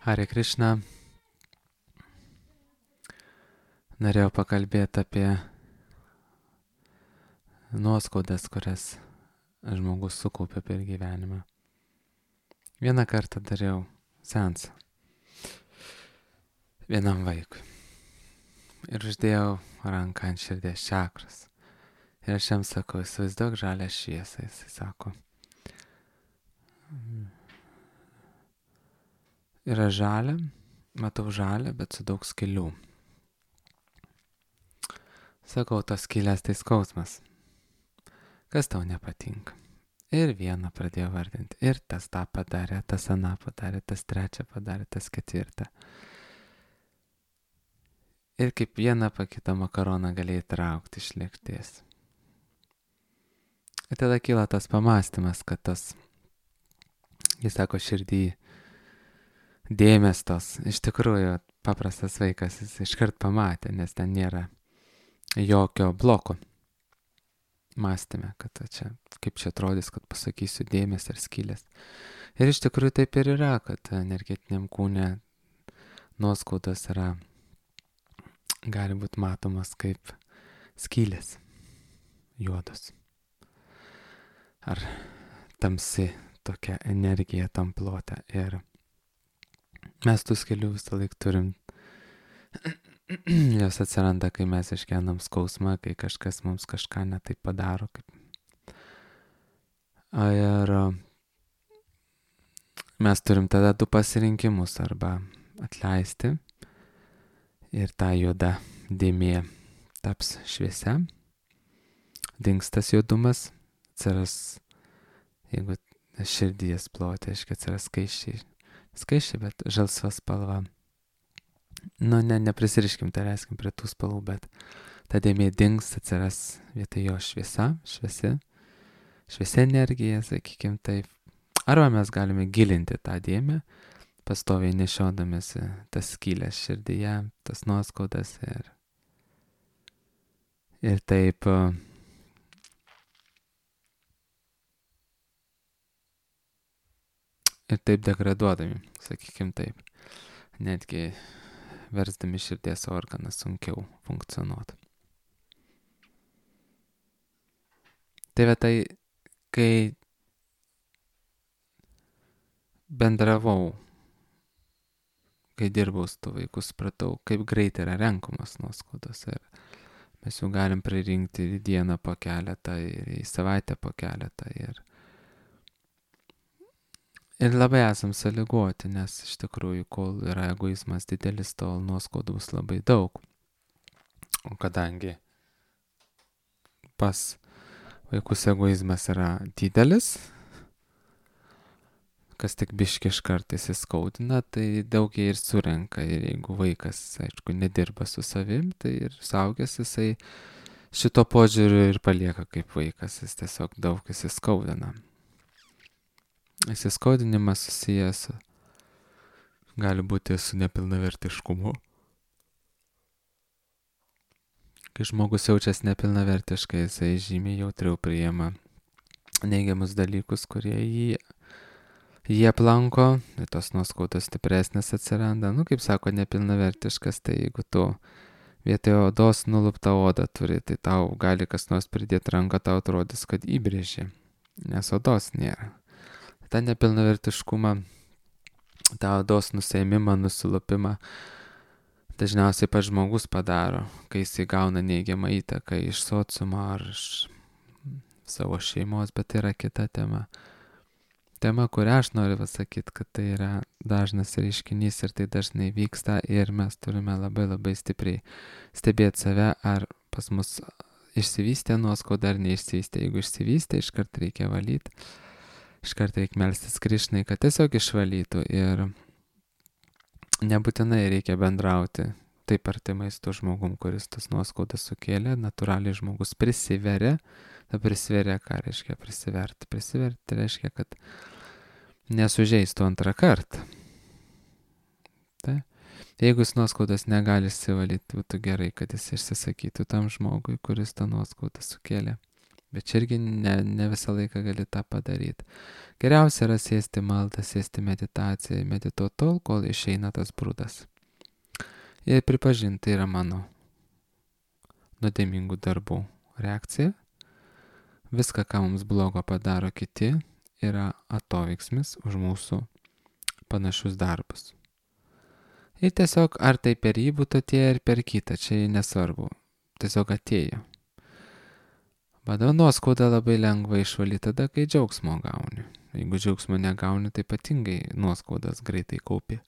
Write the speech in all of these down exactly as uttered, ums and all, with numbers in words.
Hare Krishna. Norėjau pakalbėti apie nuoskaudas, kurias žmogus sukaupė per gyvenimą. Vieną kartą dariau seansą vienam vaikui ir uždėjau ranką ant širdies čakros. Ir aš jam sakau, įsivaizduok žalią šviesą. Jisai sako, yra žalia, matau žalia, bet su daug skylių. Sakau, tos skylės tai skausmas. Kas tau nepatinka? Ir vieną pradėjo vardinti. Ir tas tą padarė, tas aną padarė, tas trečią padarė, tas ketvirtą. Ir kaip vieną pa kitą makaroną galėjai traukti iš lėkštės. Ir tada kyla tas pamastymas, kad tas, jis sako, širdį dėmesio tos. Iš tikrųjų, paprastas vaikas, jis iškart pamatė, nes ten nėra jokio bloko mąstyme, kad čia, kaip čia atrodys, kad pasakysiu dėmesį ar skylės. Ir iš tikrųjų taip ir yra, kad energetiniam kūne nuoskaudos yra, gali būti matomas kaip skylės, juodos. Ar tamsi tokia energija tam plote. Ir mes tų skylių visą laiką turim. Jos atsiranda, kai mes išgyvenam skausmą, kai kažkas mums kažką netaip padaro. Ir mes turim tada du pasirinkimus, arba atleisti ir ta juoda dėmė taps šviesia, dings tas juodumas, atsiras, jeigu širdies plotė, aiškiai atsiras skaičiai, skaičiai, bet žalsva spalva. Nu, ne, neprisiriškim, tai reiskim prie tų spalvų, bet ta dėmė dings, atsiras vietoj jo šviesa, šviesi, šviesi energija, sakykim taip. Arba mes galime gilinti tą dėmę, pastoviai nešiodamėsi tas skylės širdyje, tas nuoskaudas ir, ir taip ir taip degraduodami, sakykim taip, netgi versdami širdies organą sunkiau funkcionuoti. Tai va tai, kai bendravau, kai dirbau su tų vaikų, supratau, kaip greit yra renkamos nuoskaudos. Ir mes jau galim pririnkti į dieną po keletą, ir į savaitę po keletą. Ir, ir labai esam sąlygoti, nes iš tikrųjų, kol yra egoizmas didelis, tol nuoskaudų bus labai daug. O kadangi pas vaikus egoizmas yra didelis, kas tik biški iš kartais įskaudina, tai daug jie ir surenka. Ir jeigu vaikas, aišku, nedirba su savim, tai ir suaugęs jisai šito požiūriu ir palieka kaip vaikas. Jis tiesiog daug įsiskaudina. Įsiskaudinimas susijęs gali būti su nepilnavertiškumu. Kai žmogus jaučiasi nepilnavertiškai, jisai žymiai jautriau priima neigiamus dalykus, kurie jį Jie aplanko, tos nuoskaudos stipresnės atsiranda. Nu, kaip sako, nepilnavertiškas, tai jeigu tu vietoj odos nuluptą odą turi, tai tau gali kas nors pridėti ranką, tau atrodys, kad įbrėži, nes odos nėra. Ta nepilnavertiškumą, tą odos nusiėmimą, nusilupimą dažniausiai pats žmogus padaro, kai jis įgauna neigiamą įtaką iš sociumo ar iš savo šeimos, bet tai yra kita tema. Tema, kurią aš noriu pasakyti, kad tai yra dažnas reiškinys ir tai dažnai vyksta ir mes turime labai labai stipriai stebėti save, ar pas mus išsivystė nuoskauda ar neišsivystė. Jeigu išsivystė, iškart reikia valyti, iškart reikia melstis Krišnai, kad tiesiog išvalytų ir nebūtinai reikia bendrauti taip artimai su tuo žmogum, kuris tas nuoskaudas sukėlė. Natūraliai žmogus prisiveria, ta prisiveria, ką reiškia prisiverti. Prisiverti reiškia, kad nesužeistų antrą kartą. Tai, jeigu jis nuoskaudas negali išsivalyti, būtų gerai, kad jis išsisakytų tam žmogui, kuris tą nuoskaudą sukėlė. Bet čia irgi ne, ne visą laiką gali tą padaryti. Geriausia yra sėsti maldą, sėsti meditaciją, medituoti tol, kol išeina tas brudas. Ir pripažinti, tai yra mano nuodėmingų darbų reakcija. Viską, ką mums blogo padaro kiti, yra atoveiksmis už mūsų panašius darbus. Ir tiesiog, ar tai per jį būtų atėję ir per kitą, čia nesvarbu. Tiesiog atėjo. Bet nuoskaudą labai lengva išvalyti tada, kai džiaugsmo gauni. Jeigu džiaugsmo negauni, tai ypatingai nuoskaudas greitai kaupi.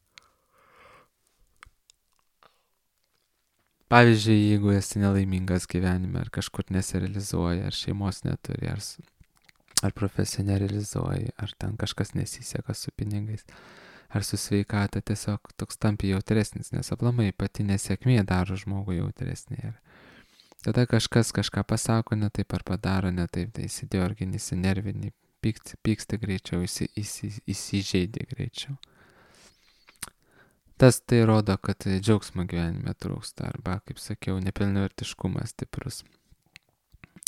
Pavyzdžiui, jeigu esi nelaimingas gyvenime, ar kažkur nesirealizuoji, ar šeimos neturi, ar, ar profesiją nerealizuoji, ar ten kažkas nesiseka su pinigais, ar su sveikata, tiesiog toks tampi jautresnis, nes aplamai pati nesėkmė daro žmogų jautresnį. Ir tada kažkas kažką pasako ne taip ar padaro ne taip, tai įsidiorgini, įsinervini, pyksti, pyksti greičiau, įsi, įsi, įsižeidi greičiau. Tas tai rodo, kad džiaugsmo gyvenime trūksta, arba, kaip sakiau, nepilnavertiškumas stiprus.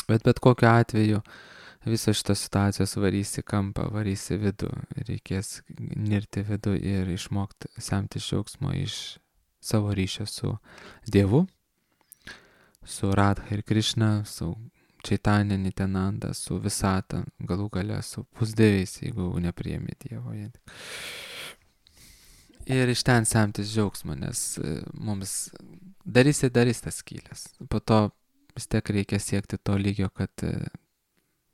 Bet bet kokiu atveju visos šitos situacijos varys į kampą, varys į vidų. Reikės nirti vidų ir išmokti semti džiaugsmo iš savo ryšio su Dievu, su Radha ir Krišna, su Čaitanija Nityananda, su visata, galų gale su pusdieviais, jeigu nepriemi Dievo. Ir iš ten semtis džiaugsmo, nes mums darys ir darys tas skylės. Po to vis tiek reikia siekti to lygio, kad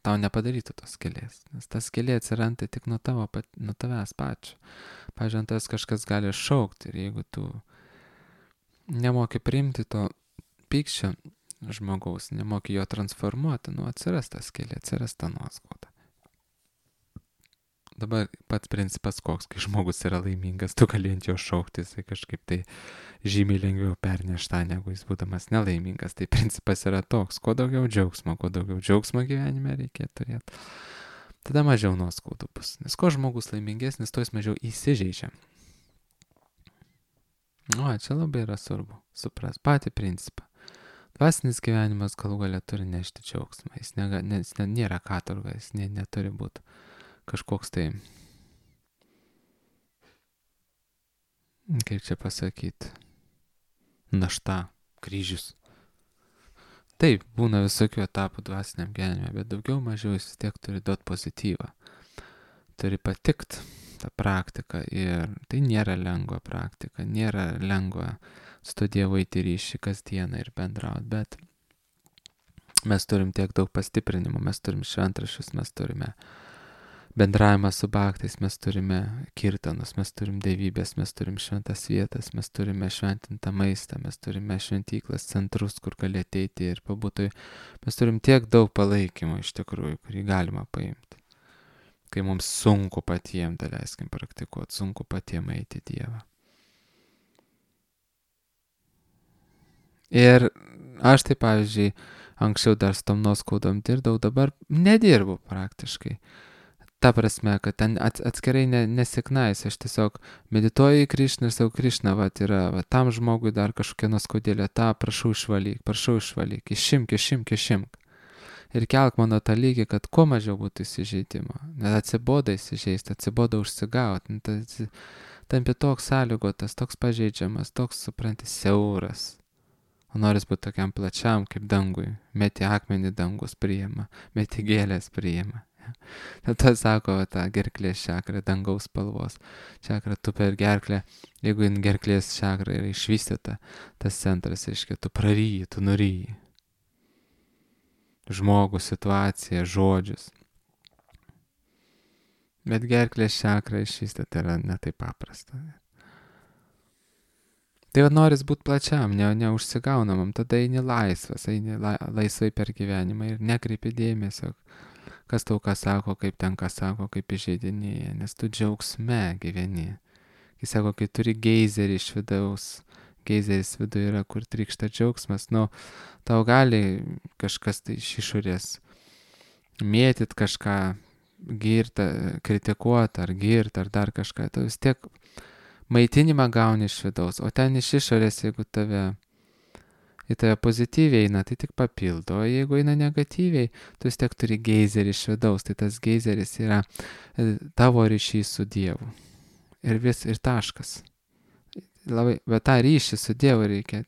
tau nepadarytų tos skylės. Nes tas skylė atsiranda tik nuo, tavo, nuo tavęs pačio. Pavyzdžiui, tas kažkas gali šaukti ir jeigu tu nemoki priimti to pykčio žmogaus, nemoki jo transformuoti, nu atsiras ta skylė, atsiras ta nuoskauda. Dabar pats principas koks, kai žmogus yra laimingas, tu gali ant jo šaukti, jisai kažkaip tai žymiai lengviau pernešta, negu jis būdamas nelaimingas. Tai principas yra toks, kuo daugiau džiaugsmo, kuo daugiau džiaugsmo gyvenime reikia turėti, tada mažiau nuoskaudų bus. Nes kuo žmogus laimingesnis, tuo jis mažiau įsižeidžia. O, čia labai yra svarbu supras patį principą. Dvasinis gyvenimas galų gale turi nešti džiaugsmą, jis, nega, ne, jis ne, nėra katorga, jis ne, neturi būti kažkoks tai, kaip čia pasakyti, našta, kryžius. Taip, būna visokių etapų dvasiniam gyvenime, bet daugiau mažiau jis vis tiek turi duoti pozityvą. Turi patikt tą praktiką ir tai nėra lengva praktika, nėra lengva su Dievu eiti ryšį kasdieną ir bendrauti, bet mes turim tiek daug pastiprinimų, mes turim šventraščius, mes turime bendravimą su bhaktais, mes turime kirtanus, mes turim dievybės, mes turim šventas vietas, mes turime šventintą maistą, mes turime šventyklas, centrus, kur gali ateiti ir pabūti. Mes turim tiek daug palaikymo iš tikrųjų, kurį galima paimti. Kai mums sunku patiem, tai leiskim praktikuoti, sunku patiem eiti Dievą. Ir aš tai, pavyzdžiui, anksčiau dar su tom nuoskaudom dirbdavau, dabar nedirbu praktiškai. Ta prasme, kad ten atskirai ne, nesiknais, aš tiesiog medituoju į Krišną ir savo Krišna, va, yra, va, tam žmogui dar kažkokia nuoskaudėlė, tą prašau išvalyk, prašau išvalyk, išimk, išimk, išimk. Ir kelk mano tą lygį, kad kuo mažiau būtų įsižeidimo. Net atsiboda įsižeisti, atsiboda užsigauti, tampi toks sąlygotas, toks pažeidžiamas, toks, supranti, siauras. O noris būti tokiam plačiam kaip dangui, meti akmenį dangus priima, meti gėlės priima. Tada sako, ta gerklės čakra, dangaus spalvos čakra, tu per gerklę, jeigu in gerklės čakra yra išvystyta, tas centras, reiškia, tu praryji, tu nuryji. Žmogų, situaciją, žodžius. Bet gerklės čakra išvystyta yra ne taip paprasta. Tai va noris būti plačiam, ne, neužsigaunamam, tada eini laisvas, eini la, laisvai per gyvenimą ir nekreipi dėmesio, kas tau ką sako, kaip ten ką sako, kaip įžeidinėja, nes tu džiaugsme gyveni. Kai sako, kai turi geizerį iš vidaus, geizeris viduje yra, kur trykšta džiaugsmas, nu, tau gali kažkas tai iš išorės mėtyt kažką, girta, kritikuoti ar girt ar dar kažką, tu vis tiek maitinimą gauni iš vidaus, o ten iš išorės, jeigu tave į tave pozityviai eina, tai tik papildo, o jeigu eina negatyviai, tu vis tiek turi geizerį iš vidaus, tai tas geizeris yra tavo ryšys su Dievu. Ir vis, ir taškas. Labai, bet tą ryšį su Dievu reikia,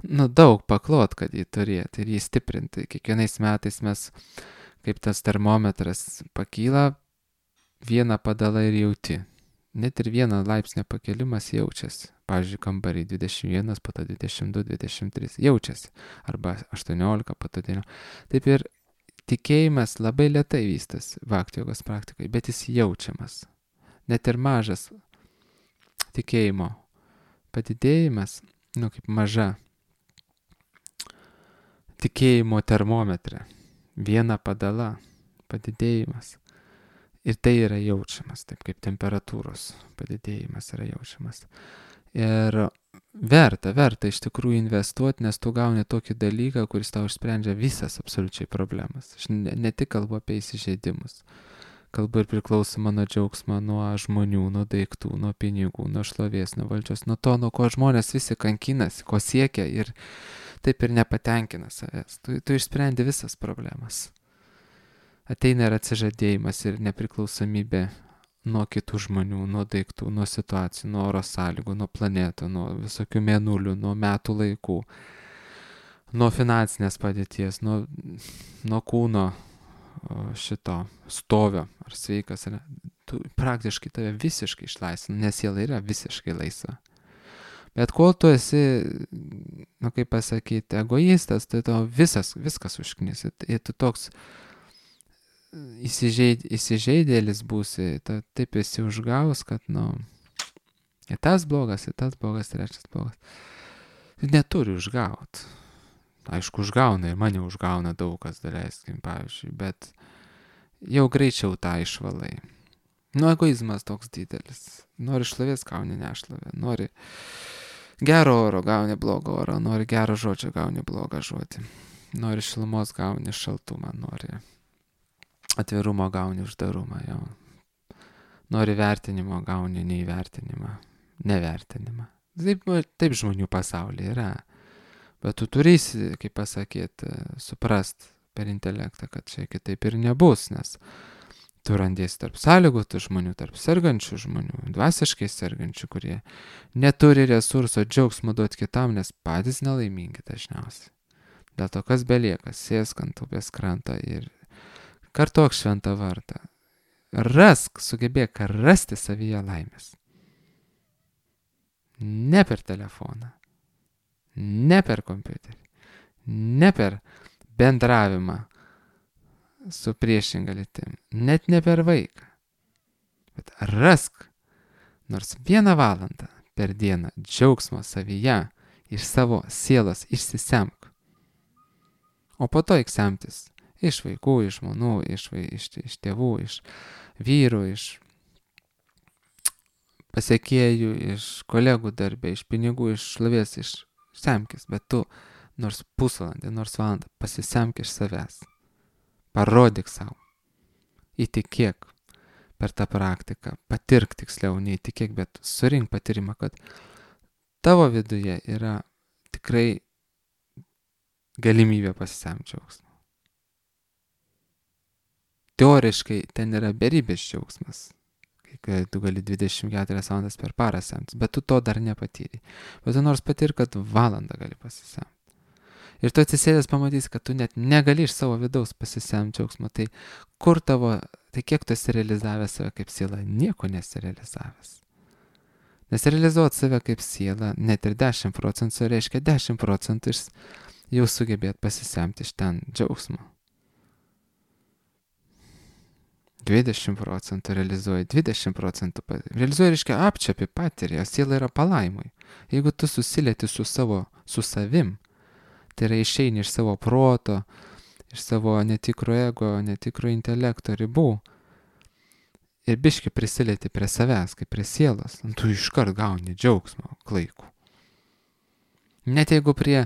nu, daug paklot, kad jį turėti ir jį stiprinti. Kiekvienais metais mes, kaip tas termometras pakyla, vieną padalą ir jauti. Net ir vieną laipsnio pakelimas jaučiasi. Pavyzdžiui, kambarį dvidešimt vienas, po to dvidešimt du, dvidešimt trys jaučiasi. Arba aštuoniolika, po to devyniolika. Taip ir tikėjimas labai lėtai vystas bhakti jogos praktikai, bet jis jaučiamas. Net ir mažas tikėjimo padidėjimas, nu kaip maža tikėjimo termometre, viena padala padidėjimas. Ir tai yra jaučiamas, taip kaip temperatūros padidėjimas yra jaučiamas. Ir verta, verta iš tikrųjų investuoti, nes tu gauni tokį dalyką, kuris tau išsprendžia visas absoliučiai problemas. Aš ne, ne tik kalbu apie įsižeidimus. Kalbu ir priklausoma nuo džiaugsmo, nuo žmonių, nuo daiktų, nuo pinigų, nuo šlovės, nuo valdžios, nuo to, nuo ko žmonės visi kankinasi, ko siekia ir taip ir nepatenkina savęs. Tu, tu išsprendi visas problemas. Ateina ir atsižadėjimas ir nepriklausomybė nuo kitų žmonių, nuo daiktų, nuo situacijų, nuo oro sąlygų, nuo planetų, nuo visokių mėnulių, nuo metų laikų, nuo finansinės padėties, nuo, nuo kūno šito stovio, ar sveikas, ar ne. Tu praktiškai tave visiškai išlaisvina, nes siela yra visiškai laisva. Bet kol tu esi, nu kaip pasakyti, egoistas, tai tau visas, viskas užknis. Ir tu toks įsižeid, įsižeidėlis būsi, ta, taip esi užgaus, kad, nu, ir tas blogas, ir tas blogas, trečias blogas. Neturi užgaut. Aišku, užgauna ir mane užgauna daug kas, daleiskim, pavyzdžiui, bet jau greičiau tą išvalai. Nu, egoizmas toks didelis. Nori šlovės, gauni nešlovę. Nori gero oro, gauni blogą oro. Nori gero žodžio, gauni blogą žodį. Nori šilumos, gauni šaltumą. Nori atvirumo, gauni uždarumą. Jau. Nori vertinimo, gauni neįvertinimą. Nevertinimą. Taip, taip žmonių pasaulyje yra. Bet tu turėsi, kaip pasakyti, suprast per intelektą, kad čia kitaip ir nebus, nes tu randiesi tarp sąlygotų žmonių, tarp sergančių žmonių, dvasiškai sergančių, kurie neturi resurso džiaugsmo duoti kitam, nes patys nelaimingi dažniausiai. Dėl to, kas belieka, sėsk ant upės krantą ir kartok šventą vardą. Rask, sugebėk rasti savyje laimės. Ne per telefoną, ne per kompiuterį, ne per bendravimą su priešinga lytim, net ne per vaiką, bet rask nors vieną valandą per dieną džiaugsmo savyje iš savo sielos išsisemk. O po to eik semtis iš vaikų, iš žmonų, iš, iš, iš tėvų, iš vyrų, iš pasiekėjų, iš kolegų darbė, iš pinigų, iš šlovės, iš semkis, bet tu nors pusvalandį, nors valandą pasisemk iš savęs. Parodyk savo. Įtikėk per tą praktiką. Patirk tiksliau, neįtikėk, bet surink patyrimą, kad tavo viduje yra tikrai galimybė pasisemti džiaugsmą. Teoriškai ten yra beribės džiaugsmas. Kai tu gali dvidešimt keturias valandas per parą semtis, bet tu to dar nepatyri. Bet tu nors patir, kad valandą gali pasisemti. Ir tu atsisėdęs pamatysi, kad tu net negali iš savo vidaus pasisemti džiaugsmo. Tai kur tavo, tai kiek tu esi realizavęs save kaip siela? Nieko nesi realizavęs. Nes realizuoti save kaip siela, net ir dešimt procentų reiškia dešimt procentų jau sugebėt pasisemti iš ten džiaugsmo. dvidešimt procentų realizuoji, dvidešimt procentų realizuoji, reiškia apčiapi patiri, o siela yra palaimui. Jeigu tu susilieti su savo, su savim, tai yra išeini iš savo proto, iš savo netikro ego, netikro intelekto ribų ir biški prisilieti prie savęs, kaip prie sielos, tu iškart gauni džiaugsmo klaikų. Net jeigu prie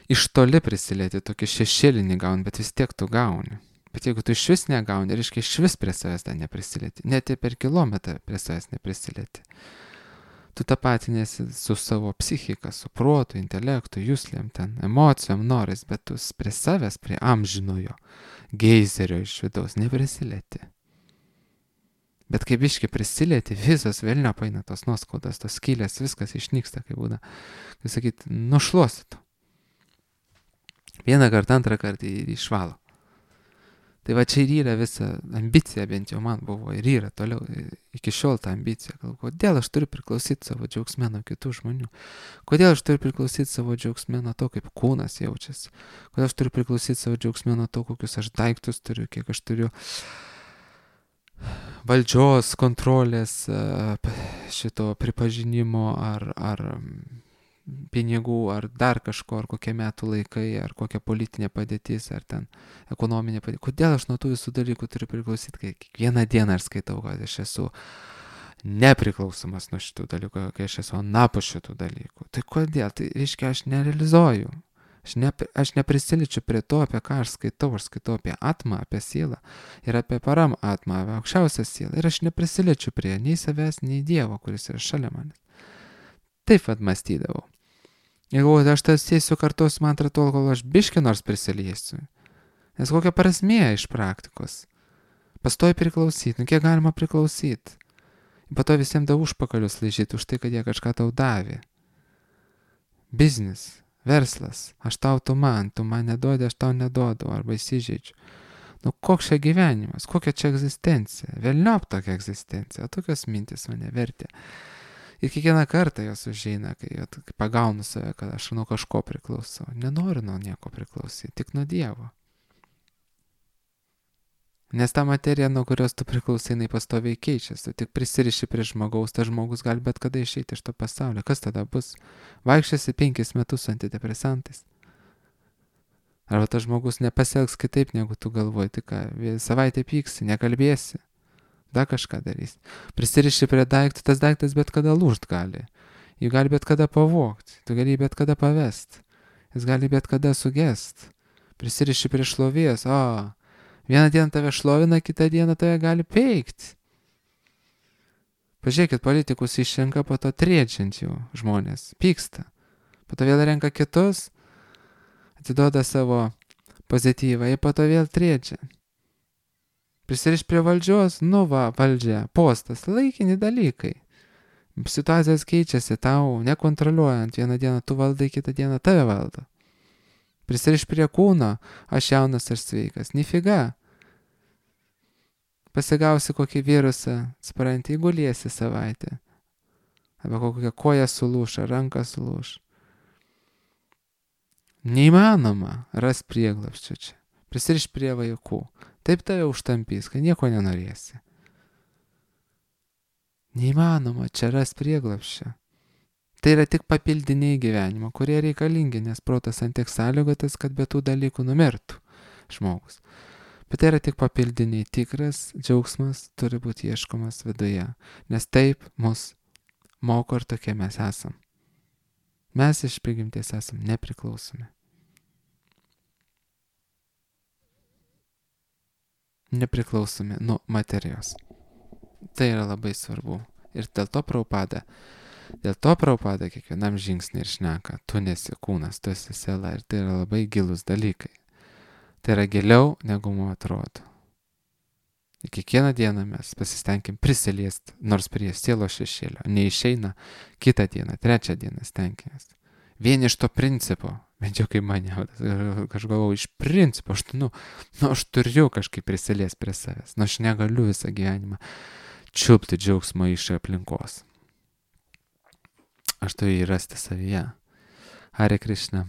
iš toli prisilieti, tokį šešėlinį gauni, bet vis tiek tu gauni. Bet jeigu tu iš vis negauni, reiškia iš vis prie savęs ten neprisilieti, net ir per kilometrą prie savęs neprisilieti. tu tapatinėsi su savo psichika, su protu, intelektu, juslėm, ten, emocijom, norais, bet tu prie savęs, prie amžinojo geizerio iš vidaus neprisilieti. Bet kai biški prisilieti, visos velnio paina tos nuoskaudas, tos skylės, viskas išnyksta, kaip būna. Kai sakyt, nušluosit. Vieną kartą, antrą kartą ir išvalo. Tai va čia ir yra visa ambicija, bent jau man buvo, ir yra toliau, iki šiol ta ambicija. Gal, kodėl aš turiu priklausyti savo džiaugsme nuo kitų žmonių? Kodėl aš turiu priklausyti savo džiaugsme nuo to, kaip kūnas jaučiasi? Kodėl aš turiu priklausyti savo džiaugsme nuo to, kokius aš daiktus turiu, kiek aš turiu valdžios, kontrolės, šito pripažinimo ar, ar pinigų, ar dar kažko, ar kokie metų laikai, ar kokia politinė padėtis, ar ten ekonominė padėtis. Kodėl aš nuo tų visų dalykų turiu priklausyti, kai kiekvieną dieną aš skaitau, kad aš esu nepriklausomas nuo šitų dalykų, kai aš esu anapus šitų dalykų. Tai kodėl? Tai reiškia, aš nerealizuoju. Aš, ne, aš neprisiličiu prie to, apie ką aš skaitau. Aš skaitau apie atmą, apie sielą ir apie param atmą, apie aukščiausią sielą. Ir aš neprisiličiu prie nei savęs, nei Dievo, kuris yra šalia manęs. Taip pat mąstydavau. Jeigu aš tas sėsiu kartuosiu mantrą tol, kol aš biškį nors prisiliesiu. Nes kokia prasmė iš praktikos? Pastoji priklausyti. Nu kiek galima priklausyti? Po to visiems da užpakalius laižyti už tai, kad jie kažką tau davė. Biznis. Verslas, aš tau, tu man, tu man neduodi, aš tau neduodu, arba įsižeidžiu. Nu, koks čia gyvenimas, kokia čia egzistencija, velniop tokia egzistencija, o tokios mintis mane vertė. Ir kiekvieną kartą jos užeina, kai, kai pagaunu save, kad aš nuo kažko priklausau. Nenoriu nuo nieko priklausyti, tik nuo Dievo. Nes ta materija, nuo kurios tu priklausai, jinai pastoviai keičiasi. Tu tik prisiriši prie žmogaus, tas žmogus gali bet kada išeiti iš to pasaulio. Kas tada bus? Vaikščiasi penkis metus su antidepresantais. Arba tas žmogus nepasielgs kitaip, negu tu galvoji. Tai ką, savaitę pyksi, nekalbėsi. Da kažką darysi. Prisiriši prie daiktų, tas daiktas bet kada lūžt gali. Jį gali bet kada pavogti. Tu gali bet kada pavest. Jis gali bet kada sugest. Prisiriši prie šlovės. O, vieną dieną tave šlovina, kitą dieną tave gali peikti. Pažiūrėkit, politikus išrenka, po to triedžiant jų žmonės. Pyksta. Po to vėl renka kitus, atiduoda savo pozityvą, ir po to vėl triedžia. Prisiriš prie valdžios, nu va, valdžia, postas, laikini dalykai. Situacijos keičiasi tau, nekontroliuojant. Vieną dieną tu valdai, kitą dieną tave valdo. Prisiriš prie kūno, aš jaunas ir sveikas. Nifiga. Pasigausi kokį virusą, supranti, įguliesi savaitę. Arba kokią koją sulūš, ar ranką sulūš. Neįmanoma ras prieglapščio čia. Prisiriš prie vaikų. Taip tave užtampys, kad nieko nenorėsi. Neįmanoma čia ras prieglapščio. Tai yra tik papildiniai gyvenimo, kurie reikalingi, nes protas ant tiek sąlygotas, kad be tų dalykų numirtų žmogus. Bet tai yra tik papildiniai. Tikras džiaugsmas turi būti ieškomas viduje, nes taip mus moko ir tokie mes esam. Mes iš prigimties esam nepriklausomi. Nepriklausomi nuo materijos. Tai yra labai svarbu. Ir dėl to Prabhupada, dėl to Prabhupada kiekvienam žingsnį ir šneka, tu nesi kūnas, tu esi siela, ir tai yra labai gilus dalykai. Tai yra giliau, negu mums atrodo. Ir kiekvieną dieną mes pasistengim prisiliesti, nors prie sielos šešėlio. Neišeina kitą dieną, trečią dieną stenkimės. Vien iš to principo, bent jau kaip mane, aš galvoju, iš principo, aš, nu, nu, aš turiu kažkaip prisiliesti prie savęs, nu, aš negaliu visą gyvenimą čiupti džiaugsmo iš aplinkos. Aš turiu jį rasti savyje. Hare Krishna.